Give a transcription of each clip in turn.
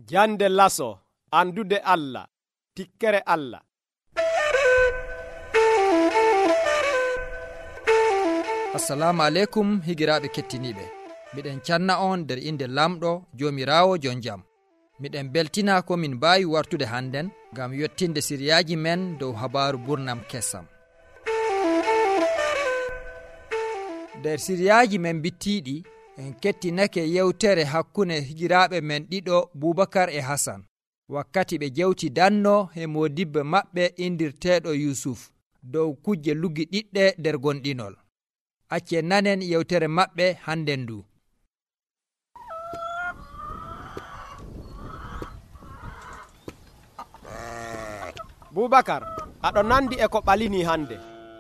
Jande laso, andude Allah, tikkere Allah. Assalamu aleykum higiraaɓe kettiniiɓe. Miɗen canna on nder inde lamɗo joomiraawo jon jam. Miɗen beltina ko min mbaawi wartude hannden ngam yottinde siriyaaji men dow habaaru burnam kessam. Nder siriyaaji men bittiiɗi en kettinake yewtere hakkunde higiraaɓe men ɗiɗo Boubacar e Hassan wakkati ɓe jewti danno e modibbe maɓɓe indirteeɗo Yusuf dow kujje luggi ɗiɗɗe nder gonɗinol. Accen nanen yewtere maɓɓe hannden ndu. Boubacar, aɗo nandi e ko ɓalini hande.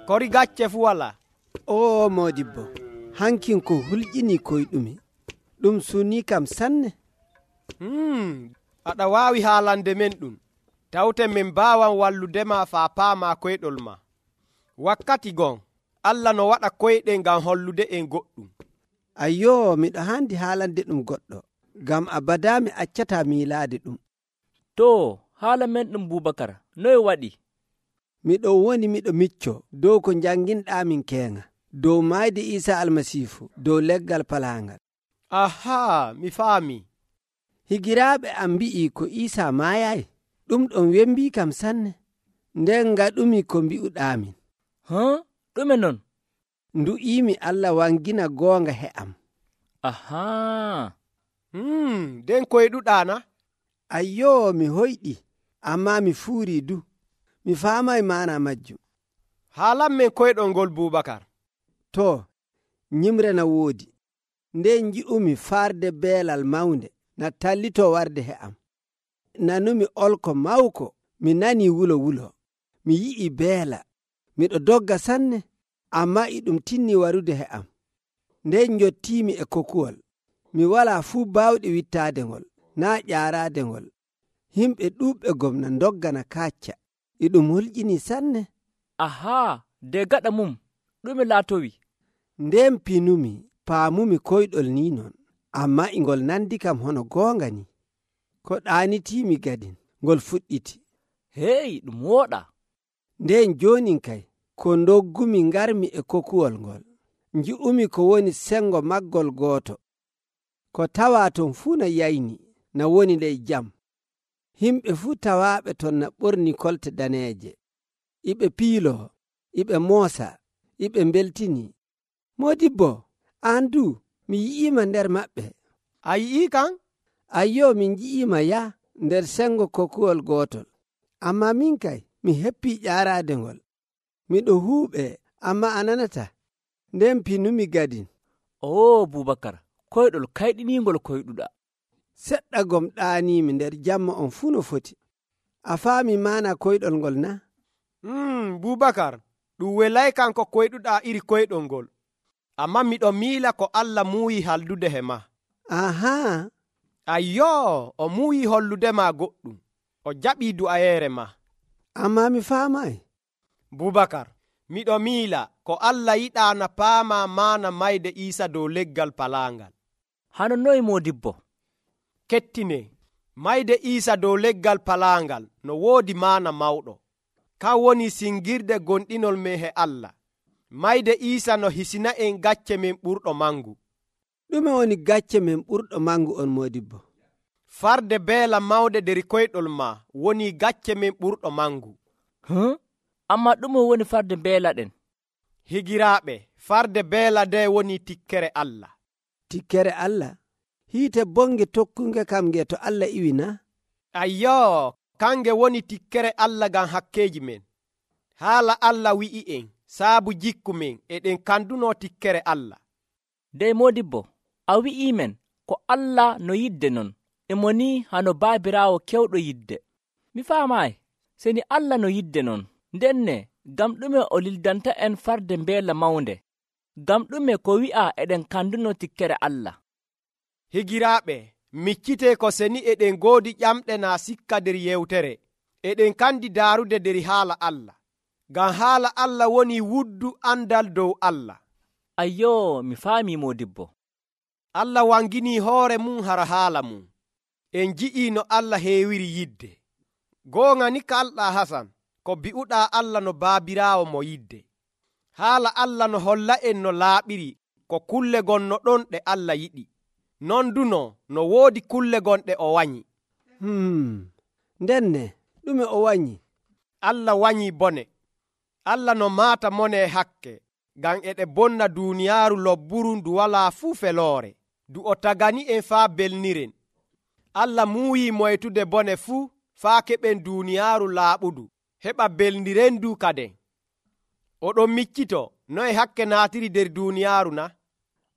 Kori gacce fu wala. O modibbo, hankin ko hulƴini koyɗumi. Ɗum suni kam sanne. Aɗa waawi haalande men ɗum. Tawte min mbawan walludema faa paama koyɗol ma. Wakkati gon, Allah no waɗa koyɗe ngam hollude en goɗɗum. Ayyo, miɗo handi haalande ɗum goɗɗo, ngam abada mi accata miilaade ɗum. To, haala men ɗum Boubacar, noye waɗi? Miɗo woni miɗo micco dow ko janginɗamin keŋa, dow mayde Isa almasiifu, dow leggal palaangal. Aha, mi faami. Higiraaɓe am mbi'i ko Isa maayayi. Ɗum ɗon wembi kam sanne. Nden ngaɗumi ko mbi'uɗamin. Ɗume non? Ndu'imi Allah wangina goonga he am. Aha. Den koyɗuɗana? Ayyo, mi hoyɗi, amma mi fuuri du. Mi faamay maana majjum. Haalan men koyɗol ngol Boubacar. To, nyimre na woodi. Nden nji'umi farde beelal mawnde na tallito warde he am. Nanumi olko mawko, mi nani wulo. Mi yi'i beela. Miɗo dogga sanne, amma iɗum tinni warude he am. Nden njottiimi e kokuwol. Mi walaa fuu baawɗe wittaadengol, naa ƴaaraadengol. Himɓe ɗuuɓɓe gomna doggana kaacca. Iɗum hulƴini sanne. Aha, de gaɗa mum, ɗume laatowi? Nden pinumi, paamumi koyɗol ni non, amma ingol nandi kam hono goonga ni. Ko ɗaanitiimi gadin, ngol fuɗɗiti. Hey, ɗum wooɗa. Nden joonin kay, ko doggumi ngarmi e kokuwol ngol. Nji'umi ko woni sengo maggol gooto. Ko tawaa ton fuu na yayni, na woni ley jam. Himɓe fuu tawaaɓe ton na ɓorni kolte daneeje. Iɓe piiloo, iɓe moosa, iɓe mbeltini. Modibbo, an du, mi yi'iima nder maɓɓe. A yi'ii kan? Ayyo, min nji'iima ya nder sengo kokuwol gootol. Amma min kay, mi heppii ƴaaraadengol. Miɗo huuɓe, amma a nanata. Nden pinumi gadin. O Boubacar, koyɗol kayɗiniingol koyɗuɗa. Seɗɗa gom ɗaaniimi nder jamma on fuu no foti. A faami maana koyɗol ngol na? Boubacar, ɗum welay kan ko koyɗuɗa iri koyɗol ngol. Amma miɗo miila ko Allah muuyi haldude he ma. Aha. Ayyo, o muuyi holludema goɗɗum. O jaɓii du'ayeere ma. Amma mi faamay. Boubacar, miɗo miila ko Allah yiɗaana paama maana mayde Iisa dow leggal palaangal. Hano noy modibbo? Kettine, mayde Iisa dow leggal palaangal no woodi maana mawɗo. Kan woni singirde gonɗinol men he Allah. Mayde Iisa no hisina en gacce men ɓurɗo mangu. Ɗume woni gacce men ɓurɗo mangu on modibbo? Farde beela mawde der koyɗol ma woni gacce men ɓurɗo mangu. Amma ɗume woni farde beela ɗen? Higiraaɓe, farde beela nde woni tikkere Allah. Tikkere Allah? Hiite bonge tokkunge kam nge to Allah iwi na? Ayyo, kange woni tikkere Allah ngam hakkeji men. Haala Allah wi'i en saabu jikku men eɗen kanduno tikkere Allah. Dey modibbo, a wi'i men ko Allah no yidde non, e mo ni hano baabiraawo kewɗo yidde. Mi faamaay, seni Allah no yidde non, ndenne gam ɗume o lildanta en farde mbeela mawnde? Gam ɗume ko wi'a eɗen kanduno tikkere Allah? Higiraaɓe, miccite ko seni eɗen goodi ƴamɗe naa sikka nder yewtere. Eɗen kandi daarude nder haala Allah. Ngam haala Allah woni wuddu andal dow Allah. Ayyo, mi faami modibbo. Allah wangini hoore mum hara haala mum. en ji'i no Allah heewiri yidde. Goonga ni kalɗaa Hasan, ko bi'uɗaa Allah no baabiraawo mo yidde. Haala Allah no holla en no laaɓiri ko kulle gonno ɗon ɗe Allah yiɗi. Non duno no woodi kulle gonɗe o wanyi. Ndenne ɗume o wanyi? Allah wanyi bone. Allah no maata mone hakke, ngam eɗe bonna duuniyaaru lobburu ndu walaa fuu feloore, ndu o tagani en faa belniren. Allah muuyi moytude bone fuu faa keɓen duuniyaaru laaɓudu, heɓa belniren ndu kaden. Oɗon miccito noye hakke naatiri nder duuniyaaru na?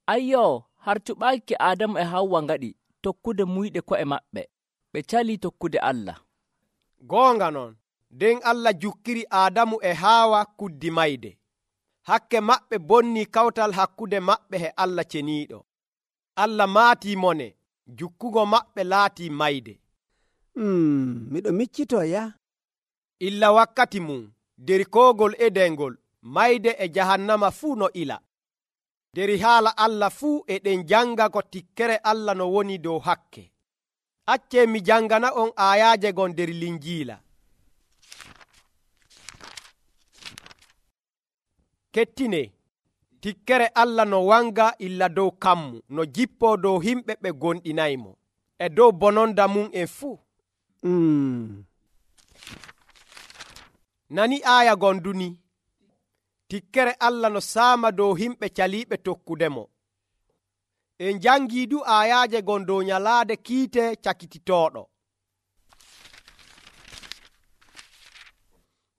Ayyoo, har cuɓaaki Aadamu e Hawwa ngaɗi tokkude muyɗe ko'e maɓɓe, ɓe calii tokkude Allah. Goonga non, nden Allah jukkiri Aadamu e Haawa kuddi mayde. Hakke maɓɓe bonni kawtal hakkude maɓɓe e Allah ceniiɗo. Allah maatii mone, jukkugo maɓɓe laatii mayde. Miɗo miccitoo ya? Illa wakkati mum, der koogol edengol, mayde e jahannama fuu no ila. Der haala Allah fuu eɗen janga ko tikkere Allah no woni dow hakke. Accee mi jangana on aayaaje gon der Linjiila. Kettine, tikkere Allah no wanga illa dow kammu, no jippoo dow himɓe ɓe gonɗinaymo, e dow bononda mum en fuu. Nani aaya gonduni, tikkere Allah no saama dow himɓe caliiɓe tokkudemo. En jangii du aayaaje gon dow nyalaade kiite cakititooɗo.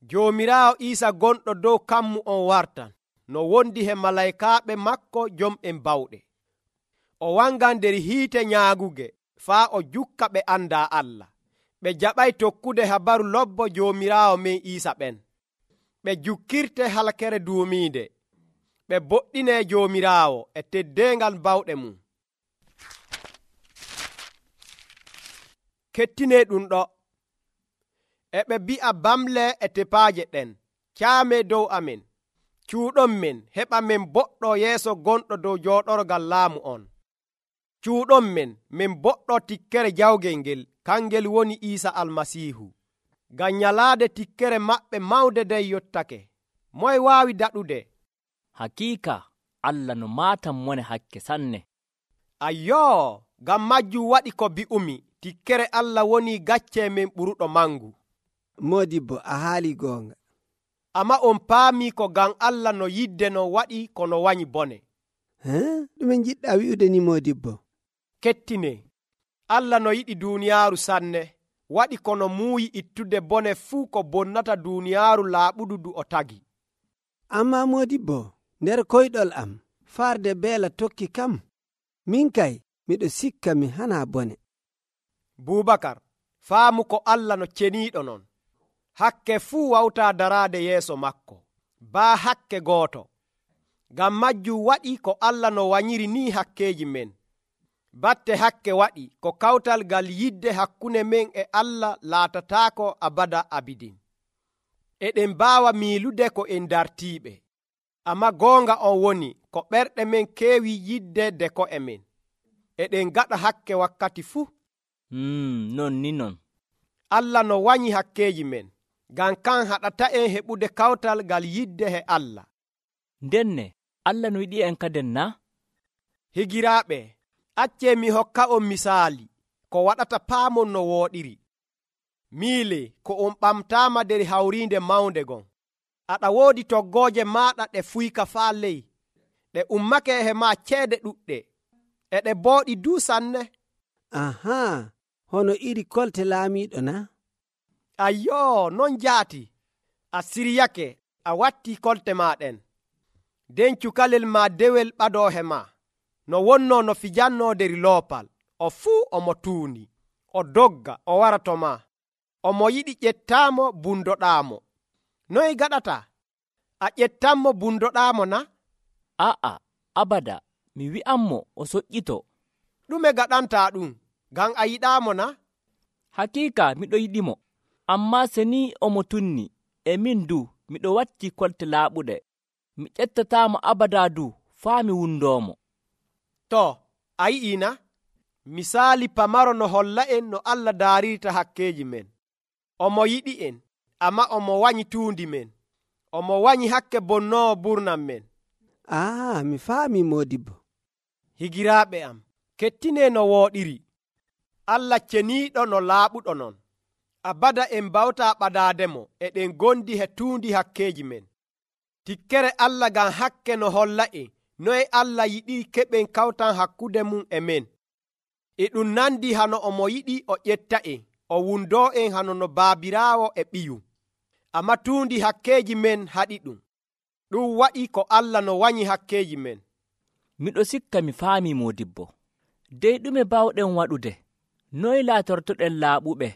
Joomiraawo Iisa gonɗo dow kammu on wartan, no wondi he malaykaaɓe makko jom'en bawɗe. O wangan nder hiite nyaaguge, faa o jukka ɓe andaa Allah. Ɓe jaɓay tokkude habaru lobbo Joomiraawo men Iisa ɓen. Ɓe jukkirte halkere duumiinde. Ɓe boɗɗine Joomiraawo e teddeengal bawɗe mum. Kettine ɗum ɗo. E ɓe bi'a bamle e tepaaje ɗen, caame dow amen, cuuɗon men, heɓa men boɗɗo yeeso gonɗo dow jooɗorgal laamu on. Cuuɗon men, min boɗɗo tikkere jawgel ngel, kangel woni Iisa Almasiihu. Ngam nyalaade tikkere maɓɓe mawde den yottake. Moye waawi daɗude? Hakiika, Allah no maatan mone hakke sanne. Ayyoo, ngam majjum waɗi ko bi'umi, tikkere Allah woni gacce men ɓuruɗo mangu. Modibbo, a haali goonga. Amma on paami ko ngam Allah no yidde no waɗi kono wanyi bone. Ɗume jiɗɗa wi'ude ni Modibbo? Kettine, Allah no yiɗi duuniyaaru sanne, waɗi kono muuyi ittude bone fuu ko bonnata duuniyaaru laaɓudu du o tagi. Amma Modibbo, nder koyɗol am, farde beela tokki kam. Min kay, miɗo sikka mi hana bone. Bubakar, faamu ko Allah no ceniiɗo non. Hakke fuu wawtaa daraade yeeso makko, baa hakke gooto. Ngam majjum waɗi ko Allah no wanyiri ni hakkeeji men. Batte hakke waɗi ko kawtal gal yidde hakkunde men e Allah laatataako abada abidin. Eɗen mbaawa miilude ko en dartiiɓe. Amma goonga on woni ko ɓerɗe men keewi yidde de ko'e men. Eɗen gaɗa hakke wakkati fuu. Non ni non. Allah no wanyi hakkeeji men, ngam kan haɗata en heɓude kawtal gal yidde he Allah. Ndenne, Allah no yiɗi en kaden na? Higiraaɓe, accee mi hokka on misaali ko waɗata paamon no wooɗiri. Miile ko on ɓamtaama nder hawriinde mawnde gon. Aɗa woodi toggooje maaɗa ɗe fuyka faa ley, ɗe ummake he maa ceede ɗuɗɗe, e ɗe booɗi duu sanne. Hono iri kolte laamiiɗo na? Ayyoo, non jaati. A siryake, a watti kolte maa ɗen. Den cukalel maa dewel ɓadoo he maa. No wonnoo no fijannoo der loopal, o fuu omo tuundi, o dogga, o wara to maa. Omo yiɗi ƴettaamo bundoɗaamo. Noy gaɗata? A ƴettanmo bundoɗaamo na? Aa, abada, mi wi'anmo o soƴƴito. Ɗume gaɗantaa ɗum, ngam a yiɗaamo na? Hakiika miɗo yiɗimo, ammaa se ni omo tunni, e min du miɗo watti kolte laaɓuɗe. Mi ƴettataamo abada du faa mi wundoomo. To, a yi'ii na? Misaali pamaro no holla en no Allah daarirta hakkeeji men. Omo yiɗi en, amma omo wanyi tuundi men. Omo wanyi hakke bonnoowo burnam men. mi faami Moodibbo. Higiraaɓe am, kettine no wooɗiri. Allah ceniiɗo no laaɓuɗo non. Abada en bawta ɓadaademo eɗen gondi he tuundi hakkeeji men. Tikkere Allah ngam hakke no holla en noye Allah yiɗi keɓen kawtan hakkude mum e men. E ɗum nandi hano omo yiɗi o ƴetta en, o wundoo en hano no baabiraawo e ɓiyu. Amma tuundi hakkeeji men haɗi ɗum. Ɗum waɗi ko Allah no wanyi hakkeeji men. Miɗo sikka mi faami Moodibbo. Dey ɗume bawɗen waɗude? Noy laatortoɗen laaɓuɓe?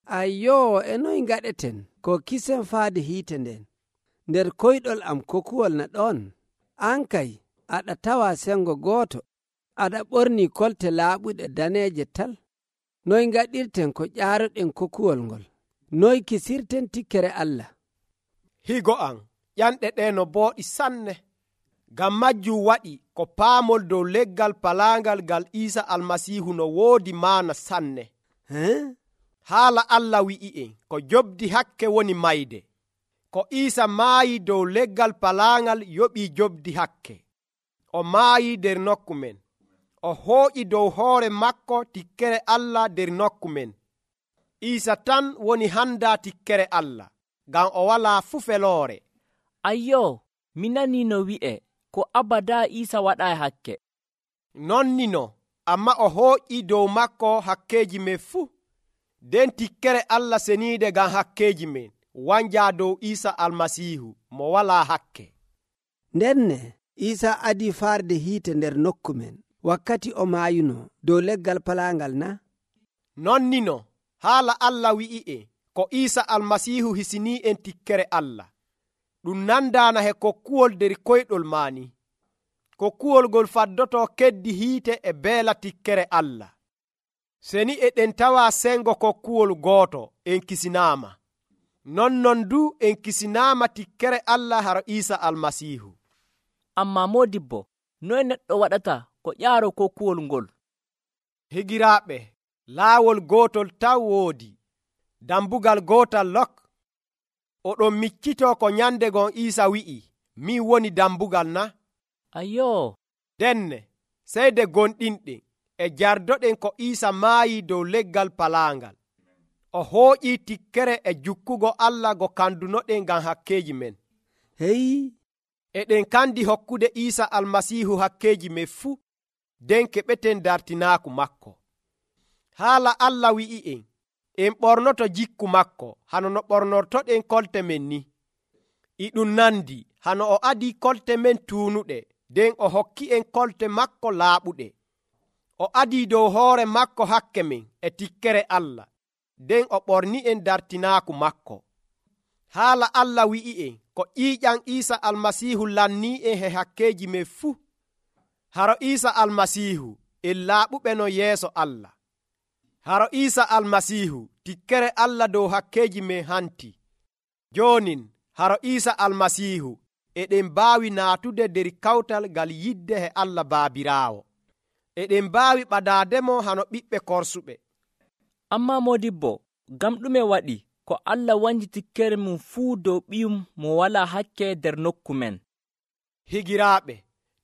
Ayyoo, e noy ngaɗeten ko kisen faade hiite nden. Nder koyɗol am kokuwol na ɗon. An kay, aɗa tawa sengo gooto. Aɗa ɓorni kolte laaɓuɗe daneeje tal. Noy ngaɗirten ko ƴaaroɗen kokuwol ngol? Noy kisirten tikkere Allah? Higo an, ƴanɗe ɗe no booɗi sanne. Ngam majjum waɗi ko paamol dow leggal palaangal ngal Iisa Almasiihu no woodi maana sanne. Haala Allah wi'i en ko jobdi hakke woni mayde. Ko Iisa maayi dow leggal palaangal yoɓii jobdi hakke. O maayi nder nokku men. O hooƴi dow hoore makko tikkere Allah nder nokku men. Iisa tan woni handa tikkere Allah, ngam o walaa fu feloore. Ayyoo, mi nanii no wi'e ko abada Iisa waɗaa hakke. Nonnino, amma o hooƴi dow makko hakkeeji men fuu. Den tikkere Allah seniide ngam hakkeeji men wanjaa dow Iisa Almasiihu mo walaa hakke. Ndenne Iisa adii faarde hiite nder nokku men wakkati o maayuno dow leggal palaangal na? Nonnino, haala Allah wi'i en ko Iisa Almasiihu hisinii en tikkere Allah. Ɗum nandaana he kokkuwol nder koyɗol maani. Kokkuwol ngol faddotoo keddi hiite e beela tikkere Allah. Seni eɗen tawa sengo kokkuwol gooto en kisinaama. Nonnon du en kisinaama tikkere Allah haro Iisa Almasiihu. Amma Moodibbo, noy neɗɗo waɗata ko ƴaaro kokkuwol ngol? Higiraaɓe, laawol gootol taw woodi. Dambugal gootal lok. Oɗon miccitoo ko nyande gon Iisa wi'i, min woni dambugal na? Ayyoo. Denne, seyde gonɗinɗen e jardoɗen ko Iisa maayi dow leggal palaangal. O hooƴii tikkere e jukkugo Allah go kandunoɗen ngam hakkeeji men. Heyi, eɗen kandi hokkude Iisa Almasiihu hakkeeji men fuu, den keɓeten dartinaaku makko. Haala Allah wi'i en ɓornoto jikku makko hano no ɓornortoɗen kolte men ni. E ɗum nandi hano o adii kolte men tuunuɗe, den o hokki en kolte makko laaɓuɗe. O adii dow hoore makko hakke men e tikkere Allah, den o ɓorni en dartinaaku makko. Haala Allah wi'i en ko ƴiiƴam Iisa Almasiihu lannii en he hakkeeji men fuu. Haro Iisa Almasiihu en laaɓuɓe no yeeso Allah. Haro Iisa Almasiihu tikkere Allah dow hakkeeji men hanti. Joonin haro Iisa Almasiihu eɗen mbaawi naatude nder kawtal ngal yidde he Allah Baabiraawo. Eɗen mbaawi ɓadaademo hano ɓiɓɓe korsuɓe. Amma Moodibbo, ngam ɗume waɗi ko Allah wanji tikkere mum fuu dow ɓiyum mo walaa hakke nder nokku men? Higiraaɓe,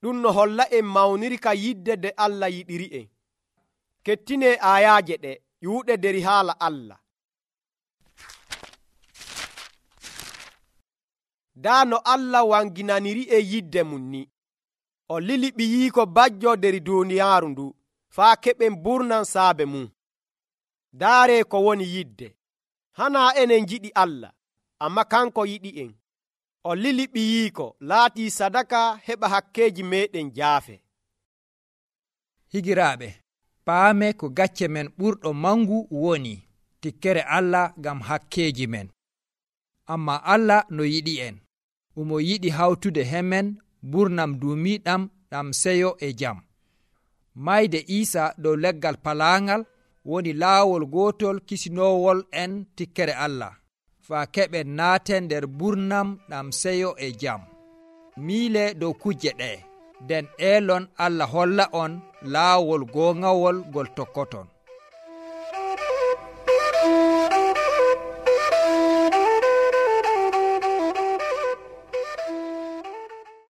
ɗum no holla en mawnirka yidde nde Allah yiɗiri en. Kettine ayaaje ɗe ƴuuɗe nder haala Allah. Daa no Allah wanginaniri e yidde mum ni. O lili ɓiyiiko bajjo nder duuniyaaru ndu faa keɓen burnan saabe mum. Daare ko woni yidde. Hanaa enen jiɗi Allah, amma kanko yiɗi en. O lili ɓiyiiko laatii sadaka heɓa hakkeeji meɗen jaafe. Higiraaɓe, paame ko gacce men ɓurɗo mangu woni tikkere Allah ngam hakkeeji men. Amma Allah no yiɗi en. Omo yiɗi hawtude hemen burnam duumiiɗam ɗam seyo e jam. Mayde Iisa dow leggal palaangal woni laawol gootol kisinoowol en tikkere Allah, faa keɓen naaten nder burnam ɗam seyo e jam. Miile dow kujje ɗe, nden elon Allah holla on laawol goongawol ngol tokkoton.